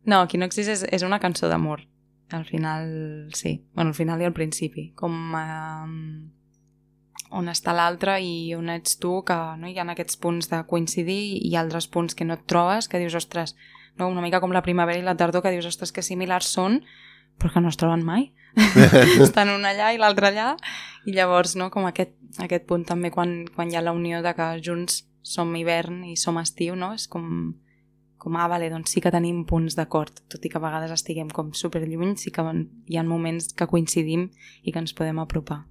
No, Equinoxis és, és una cançó d'amor. Al final, sí. Bueno, al final i al principi. Com eh, on està l'altre i on ets tu, que no, hi ha aquests punts de coincidir i altres punts que no et trobes, que dius, ostres, no? Una mica com la primavera i la tardor, que dius, ostres, que similars són, però que no es troben mai. Estan un allà i l'altre allà, i llavors, no, com aquest, aquest punt també quan, quan hi ha la unió de que junts som hivern i som estiu, no? És com, com ah, vale, doncs sí que tenim punts d'acord, tot i que a vegades estiguem com superlluny, sí que hi ha moments que coincidim i que ens podem apropar.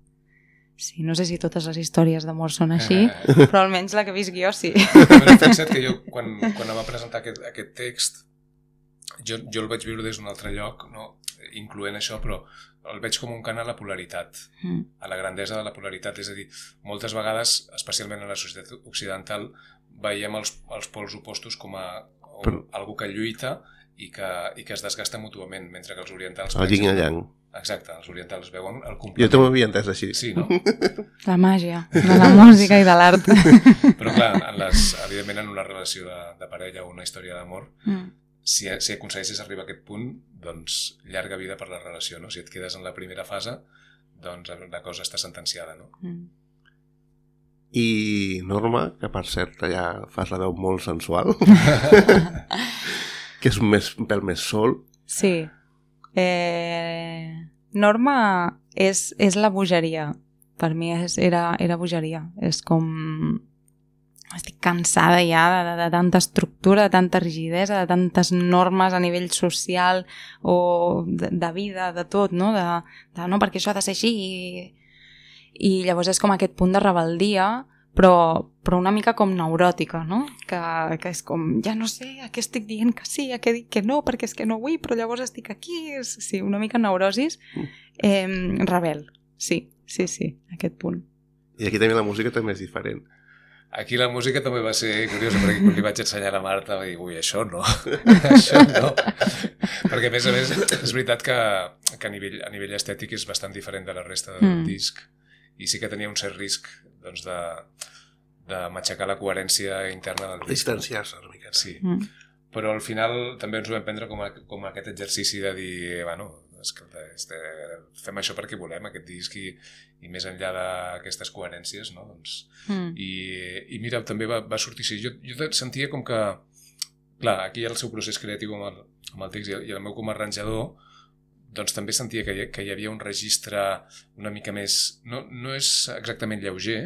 Sí, no sé si totes les històries d'amor són així, però almenys la que he vist jo sí. Però fixa't que jo, quan, quan em va presentar aquest, aquest text, jo, jo el vaig viure des d'un altre lloc, no? Incloent això, però el veig com un cant a la polaritat, Mm. a la grandesa de la polaritat. És a dir, moltes vegades, especialment en la societat occidental, veiem els, els pols opostos com a o, Però- algú que lluita i que, i que es desgasta mútuament, mentre que els orientals... El yin i el yang. Exacte, els orientals veuen el Jo complement. també m'havia entès així. Sí, no? La màgia de la música i de l'art. Però clar, en les, evidentment en una relació de, de parella o una història d'amor, Mm. si, si aconsegueixes arribar a aquest punt, doncs llarga vida per la relació, no? Si et quedes en la primera fase, doncs la cosa està sentenciada, no? Mm. I Norma, que per cert ja fas la veu molt sensual, que és un, més, un pèl més sol. Sí. Eh, Norma és, és la bogeria. Per mi és, era, era bogeria. És com... Estic cansada ja de, de, de tanta estructura, de tanta rigidesa, de tantes normes a nivell social o de, de vida, de tot, no? De, de no, perquè això ha de ser així i, i llavors és com aquest punt de rebeldia, però, però una mica com neuròtica, no? Que, que és com, ja no sé a què estic dient que sí, a què dic que no, perquè és que no vull, però llavors estic aquí. És, sí, una mica neurosis. Eh, rebel, sí, sí, sí, aquest punt. I aquí també la música també és diferent. Aquí la música també va ser curiosa, perquè quan li vaig ensenyar a la Marta va dir, ui, això no, això no. Perquè a més a més és veritat que, que a, nivell, a nivell estètic és bastant diferent de la resta del Mm. disc, i sí que tenia un cert risc doncs, de, de matxacar la coherència interna del disc. Distanciar-se una miqueta. Sí, Mm. però al final també ens ho vam prendre com, a, com a aquest exercici de dir, bueno, escolta, este, fem això perquè volem aquest disc i, i més enllà d'aquestes coherències, no? Doncs, Mm. i, i mira, també va, va sortir així. Jo, jo sentia com que, clar, aquí hi ha el seu procés creatiu amb el, amb el text i el, i el meu com a arranjador, doncs també sentia que hi, que hi havia un registre una mica més... No, no és exactament lleuger,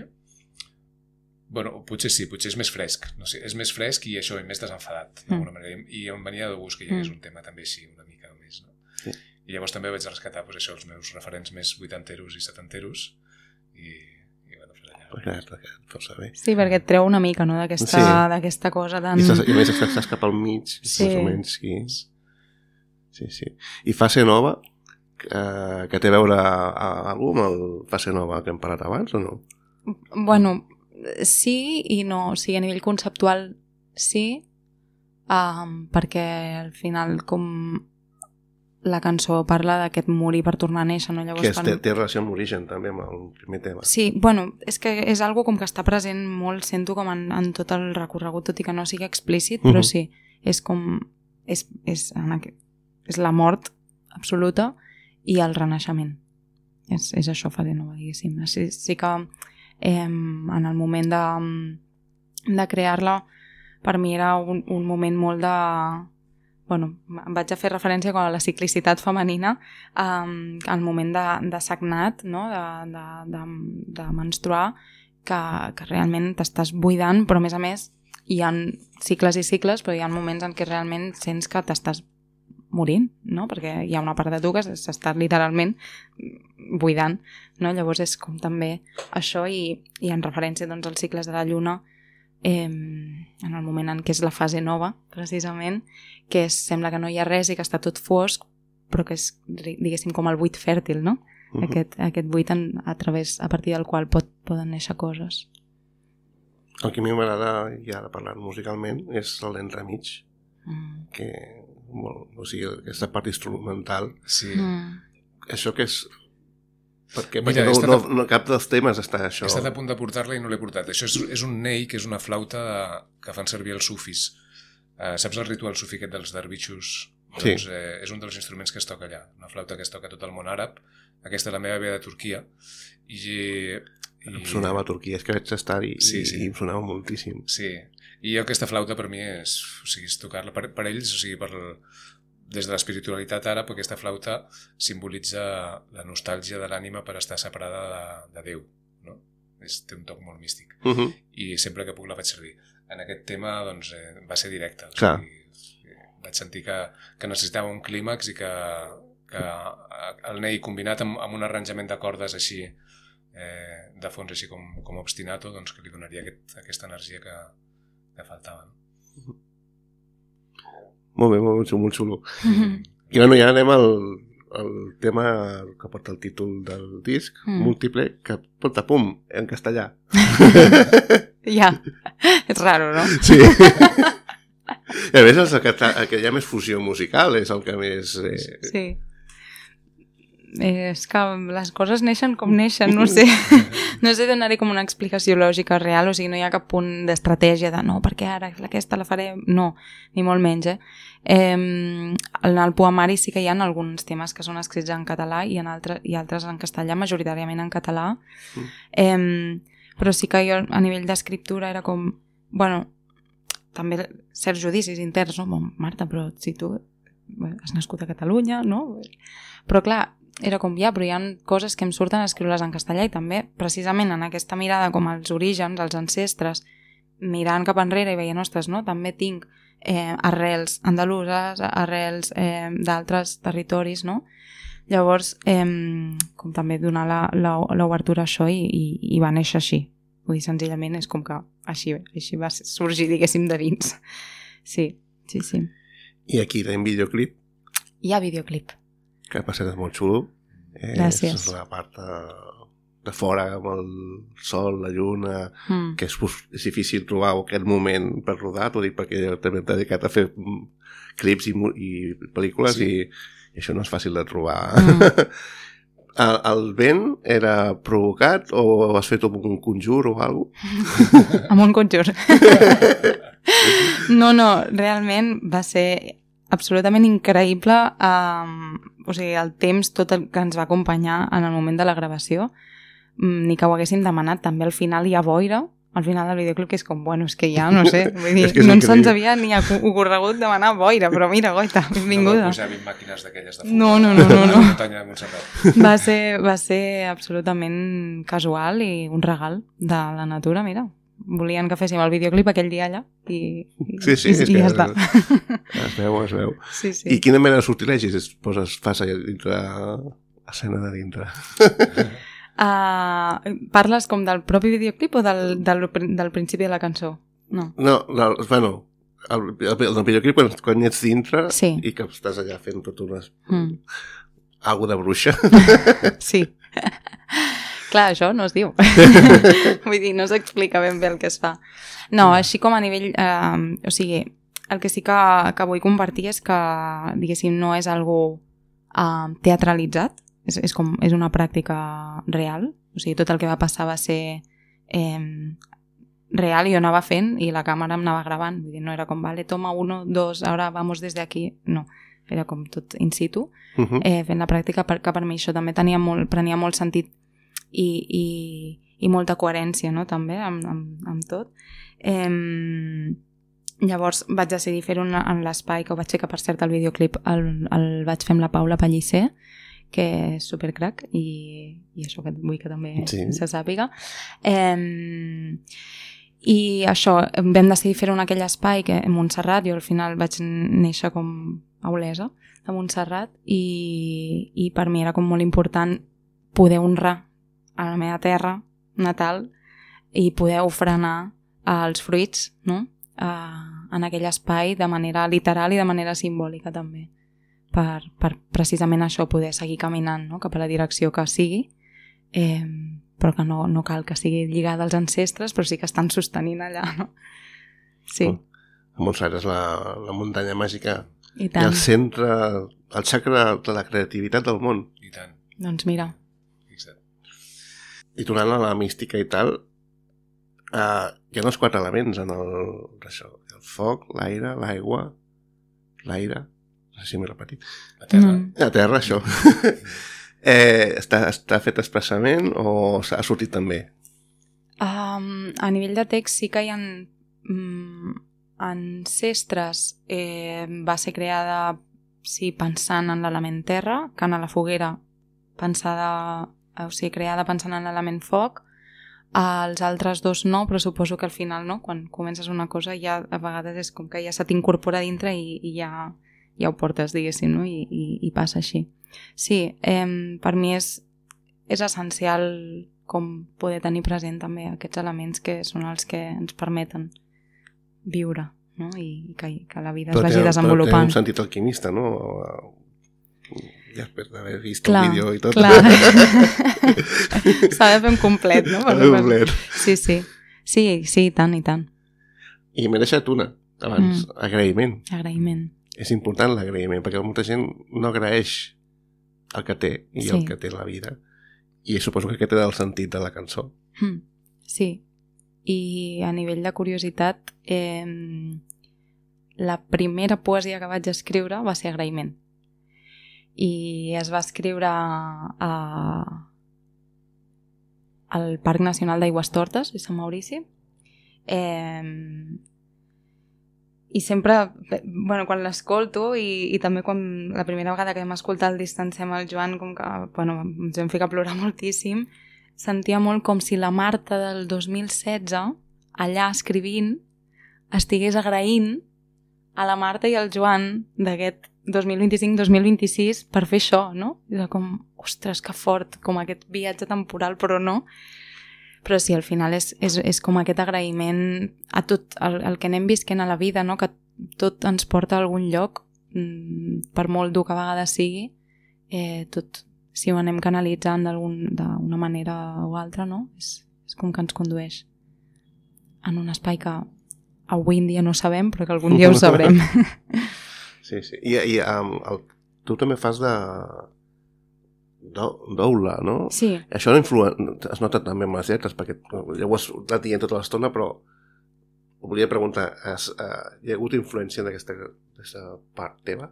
bueno, potser sí, potser és més fresc, no sé, és més fresc i això, i més desenfadat, d'alguna manera, i, i em venia de gust que hi hagués un tema també així, una mica més, no? Sí. I llavors també vaig rescatar pues, això, els meus referents més vuitanteros i setanteros i, i bueno, pues allà... Recat, recat, força bé. Sí, perquè et treu una mica, no?, d'aquesta Sí. d'aquesta cosa tan... I, estàs, i a més estàs cap al mig, Sí. més o menys. Sí, sí. sí. I Fase Nova, eh, que té a veure a, a algú amb el Fase Nova que hem parlat abans o no? Bueno, sí i no. O sigui, a nivell conceptual sí, um, perquè al final com la cançó parla d'aquest morir per tornar a néixer, no? Llavors, Que és, fan... té, té relació amb l'origen també, amb el primer tema. Sí, bueno, és que és algo com que està present molt, sento com en, en tot el recorregut, tot i que no sigui explícit, però Mhm. sí, és com és, és, en aqu... és la mort absoluta i el renaixement. És, és això, Fase Nova, diguéssim. Sí, sí que eh, en el moment de, de crear-la, per mi era un, un moment molt de... Bueno, em vaig a fer referència a la ciclicitat femenina, um, al moment de, de sagnat, no? de, de, de, de menstruar, que, que realment t'estàs buidant, però a més a més hi ha cicles i cicles, però hi ha moments en què realment sents que t'estàs morint, no? Perquè hi ha una part de tu que s'està literalment buidant, no? Llavors és com també això i, i en referència doncs, als cicles de la lluna, eh, en el moment en què és la fase nova, precisament, que és, sembla que no hi ha res i que està tot fosc, però que és, diguéssim, com el buit fèrtil, no? Uh-huh. Aquest, aquest buit en, a, través, a partir del qual pot, poden néixer coses. El que a mi m'agrada, ja ara parlant musicalment, és l'entremig, Mm. que, molt, o sigui, aquesta part instrumental, Sí. Mm. això que és... Perquè, Mira, perquè no, he estat no, a- no, cap dels temes està això. He estat a punt de portar-la i no l'he portat. Això és, és un ney, que és una flauta que fan servir els sufis. Uh, saps el ritual sufi aquest dels dervixos? Sí. Doncs eh, és un dels instruments que es toca allà. Una flauta que es toca a tot el món àrab. Aquesta la meva ve de Turquia. I, i... Em sonava a Turquia, és que vaig estar i, Sí, sí. i em sonava moltíssim. Sí. I aquesta flauta per mi és... O sigui, és tocar-la per, per ells, o sigui, per, des de l'espiritualitat àrab, aquesta flauta simbolitza la nostàlgia de l'ànima per estar separada de, de Déu, no? És, té un toc molt místic. Uh -huh. I sempre que puc la faig servir. En aquest tema doncs, eh, va ser directe. O Clar. sigui, vaig sentir que, que necessitava un clímax i que, que el ney combinat amb, amb un arranjament de cordes així, eh, de fons així com, com obstinato, doncs que li donaria aquest, aquesta energia que, que faltava. No? Molt bé, molt, molt xulo. Mm. I bueno, ja anem al, al tema que porta el títol del disc, Mm. múltiple, que porta pum, en castellà. Ja, és raro, no? Sí. I a més, el que, el que hi ha més fusió musical és el que més... Eh... Sí. Eh, és que les coses neixen com neixen, no sé. No sé donar-hi com una explicació lògica real, o sigui, no hi ha cap punt d'estratègia de no, perquè ara aquesta la faré... No, ni molt menys, eh? eh en el poemari sí que hi ha alguns temes que són escrits en català i, en altres, i altres en castellà, majoritàriament en català. Mm. Eh, però sí que jo a nivell d'escriptura era com... Bueno, també certs judicis interns, no? Bon, Marta, però si tu has nascut a Catalunya, no? Però clar, era com, ja, però hi ha coses que em surten a escriure-les en castellà i també, precisament en aquesta mirada com als orígens, als ancestres, mirant cap enrere i veient, ostres, no? També tinc eh, arrels andaluses, arrels eh, d'altres territoris, no? Llavors, eh, com també donar l'obertura a això i, i, i va néixer així. Vull dir, senzillament és com que així, així va sorgir, diguéssim, de dins. Sí, sí, sí. I aquí tenim videoclip, Hi ha videoclip. que per cert és molt xulo. Eh, Gràcies. És la part de, de fora, amb el sol, la lluna, Mm. que és, és difícil trobar aquest moment per rodar, t'ho dic perquè jo també m'he dedicat a fer mm, clips i, mu- i pel·lícules Sí. i, i això no és fàcil de trobar. Mm. el, el vent era provocat o has fet un conjur o alguna cosa? Amb un conjur. No, no, realment va ser absolutament increïble, um, o sigui, el temps tot el que ens va acompanyar en el moment de la gravació, mm, ni que ho haguéssim demanat. També al final hi ha boira, al final del videoclip, que és com, bueno, és que ja, no sé, vull dir, És que és no ens increïble. havia ni ocorregut demanar boira, però mira, goita, No benvinguda. va pujar vint màquines d'aquelles de fum. No, no, no, no, no. A la muntanya de Montserrat. Va ser, va ser absolutament casual i un regal de la natura, mira. volien que féssim el videoclip aquell dia allà i, i, Sí, sí, i, és i que ja està. es veu, es veu. Sí, sí. I quina mena de sortilegis es poses, fas allà dintre, escena de dintre? Uh, parles com del propi videoclip o del, del, del principi de la cançó? No. No, no bueno, el, el, el videoclip quan, quan ets dintre Sí. i que estàs allà fent tot unes... Mm. Algo de bruixa. Sí. Clar, això no es diu. Vull dir, no s'explica ben bé el que es fa. No, així com a nivell... Eh, o sigui, el que sí que, que vull compartir és que, diguéssim, no és algo eh, teatralitzat, és, és, com, és una pràctica real. O sigui, tot el que va passar va ser eh, real i jo anava fent i la càmera em anava gravant. Vull dir, no era com, vale, toma uno, dos, ahora vamos desde aquí. No, era com tot in situ. Uh -huh. eh, fent la pràctica, perquè per mi això també tenia molt, prenia molt sentit i, i, i molta coherència, no?, també amb, amb, amb tot. Eh, llavors vaig decidir fer-ho en l'espai que ho vaig fer, que per cert el videoclip el, el vaig fer amb la Paula Pellicer, que és supercrac i, i això que vull que també sí. se sàpiga. Eh, i això, vam decidir fer-ho en aquell espai que en Montserrat, jo al final vaig néixer com a Olesa de Montserrat i, i per mi era com molt important poder honrar a la meva terra natal i poder ofrenar els fruits, no?, uh, en aquell espai de manera literal i de manera simbòlica també, per, per precisament això, poder seguir caminant, no?, cap a la direcció que sigui, eh, però que no, no cal que sigui lligada als ancestres, però sí que estan sostenint allà, no? Sí. Oh. Montserrat és la, la muntanya màgica i, i el centre, el xacra de la creativitat del món. I tant. Doncs mira. Fixa't. I tornant a la mística i tal, uh, hi ha els quatre elements en el, això, el foc, l'aire, l'aigua, l'aire, no sé si m'he repetit. La terra. Mm. La terra, això. eh, està, està fet expressament o s'ha sortit també? Um, a nivell de text sí que hi ha um, ancestres, eh, va ser creada sí, pensant en l'element terra, que en la foguera pensada, o sigui, creada pensant en l'element foc. Els altres dos no, però suposo que al final, no, quan comences una cosa ja a vegades és com que ja se t'incorpora dintre i, i ja, ja ho portes, diguéssim, no? I, i, i passa així. Sí, eh, per mi és, és essencial com poder tenir present també aquests elements que són els que ens permeten viure, no? I que, que la vida es vagi desenvolupant. Però té un sentit alquimista, no? Ja després d'haver vist clar, el vídeo i tot. Clar, s'ha de fer un complet, no? S'ha de fer un complet. Sí, sí. Sí, sí, i tant, i tant. I m'he deixat una, abans, mm. agraïment. Agraïment. És important l'agraïment, perquè molta gent no agraeix el que té i sí. el que té la vida. I suposo que aquest era el sentit de la cançó. Mm. Sí. I a nivell de curiositat, eh, la primera poesia que vaig escriure va ser agraïment. I es va escriure a, al Parc Nacional d'Aigüestortes de Sant Maurici. Eh, I sempre, bueno, quan l'escolto i, i també quan la primera vegada que vam escoltar el Distancem al Joan, com que, bueno, ens vam ficar a plorar moltíssim, sentia molt com si la Marta del dos mil setze, allà escrivint, estigués agraint a la Marta i al Joan d'aquest dos mil vint-i-cinc dos mil vint-i-sis per fer això, no? Era com, ostres, que fort, com aquest viatge temporal, però no. Però sí, al final és, és, és com aquest agraïment a tot el, el que anem visquent a la vida, no? Que tot ens porta a algun lloc, per molt dur que a vegades sigui, eh, tot, si ho anem canalitzant d'una manera o altra, no? És, és com que ens condueix en un espai que avui en dia no sabem, però que algun dia ho sabrem. Sí, sí. I, i um, el, tu també fas de doula, no? Sí. Això no influ... es nota també amb les lletres, perquè ja ho has anat dient tota l'estona, però ho volia preguntar, has, uh, hi ha hagut influència d'aquesta part teva?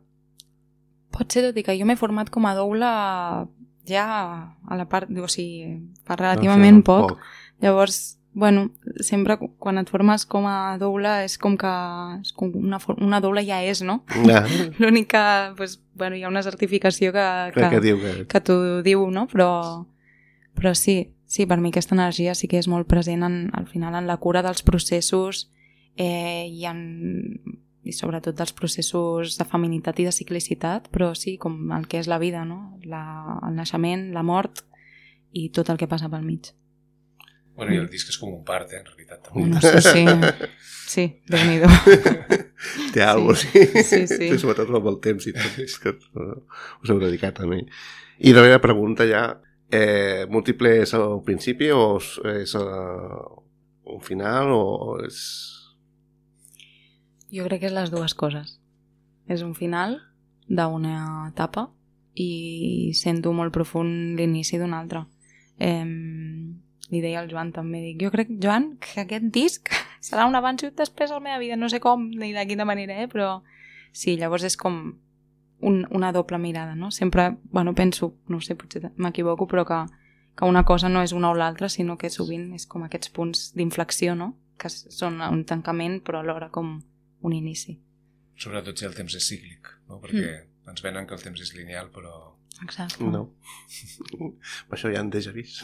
Pot ser, tot i que jo m'he format com a doula ja a la part, o sigui, fa relativament no, sí, poc. poc. Llavors, bueno, sempre quan et formes com a doula és com que és com una, una doula ja és, no? Ja. L'únic que, pues, bueno, hi ha una certificació que, que, que, diu que... que t'ho diu, no? Però, però sí, sí, per mi aquesta energia sí que és molt present en, al final en la cura dels processos eh, i, en, i sobretot dels processos de feminitat i de ciclicitat, però sí, com el que és la vida, no? La, el naixement, la mort i tot el que passa pel mig. Bueno, i el disc és com un part, eh, en realitat. També. No sé, sí, sí, Déu-n'hi-do. Té alguna cosa, sí. Sí, sí. sí. Sobretot amb el temps i tot, que us heu dedicat a mi. I la meva pregunta ja, eh, múltiple és al principi o és uh, un final o és... Jo crec que és les dues coses. És un final d'una etapa i sento molt profund l'inici d'una altra. Eh, li deia al Joan també, dic, jo crec, Joan, que aquest disc serà un abans i un després a la meva vida, no sé com ni de quina manera, eh? Però sí, llavors és com un, una doble mirada, no? Sempre, bueno, penso, no sé, potser m'equivoco, però que, que una cosa no és una o l'altra, sinó que sovint és com aquests punts d'inflexió, no? Que són un tancament, però alhora com un inici. Sobretot si el temps és cíclic, no? Perquè mm. ens venen que el temps és lineal, però... Exacte. No. Per això ja en déjà vist.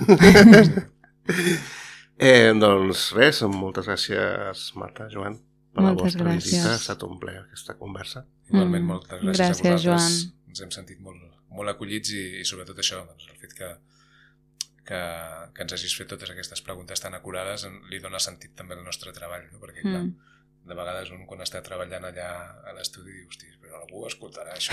eh, doncs res, moltes gràcies, Marta, Joan, per moltes la vostra gràcies. visita. Ha estat un plaer aquesta conversa. Igualment, Mm. moltes gràcies, Gràcies, a vosaltres. Joan. Ens hem sentit molt, molt acollits i, i sobretot això, doncs, el fet que, que, que ens hagis fet totes aquestes preguntes tan acurades li dona sentit també al nostre treball, no? Perquè clar, Mm. de vegades un quan està treballant allà a l'estudi diu, hosti, però algú escoltarà això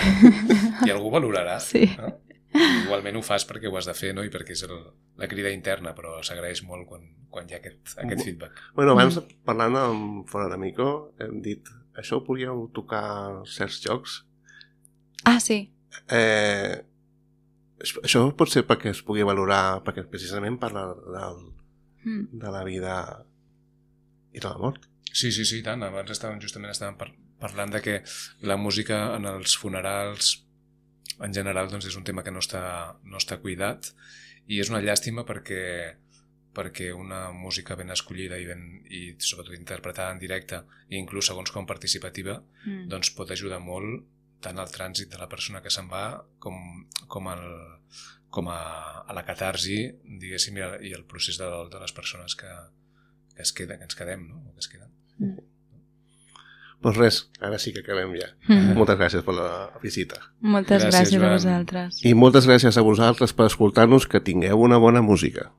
i algú valorarà. Sí. No? I igualment ho fas perquè ho has de fer, no? I perquè és el, la crida interna, però s'agraeix molt quan, quan hi ha aquest, aquest feedback. Bueno, abans, mm. parlant amb Fora de Mico, hem dit, això ho podíeu tocar certs jocs. Ah, sí. Eh, això pot ser perquè es pugui valorar, perquè precisament parla del, Mm. de la vida i de la mort. Sí, sí, sí, tant. Abans estàvem, justament estàvem par parlant de que la música en els funerals en general doncs, és un tema que no està, no està cuidat i és una llàstima perquè, perquè una música ben escollida i, ben, i sobretot interpretada en directe i inclús segons com participativa Mm. doncs pot ajudar molt tant al trànsit de la persona que se'n va com, com, el, com a, a la catarsi, diguéssim, i, el, i el procés de, de les persones que, que, es queda, que ens quedem, no? O que es queden. Mm. Doncs res, ara sí que acabem ja. Mm. Moltes gràcies per la visita. Moltes Gràcies, gràcies, Joan. a vosaltres. I moltes gràcies a vosaltres per escoltar-nos, que tingueu una bona música.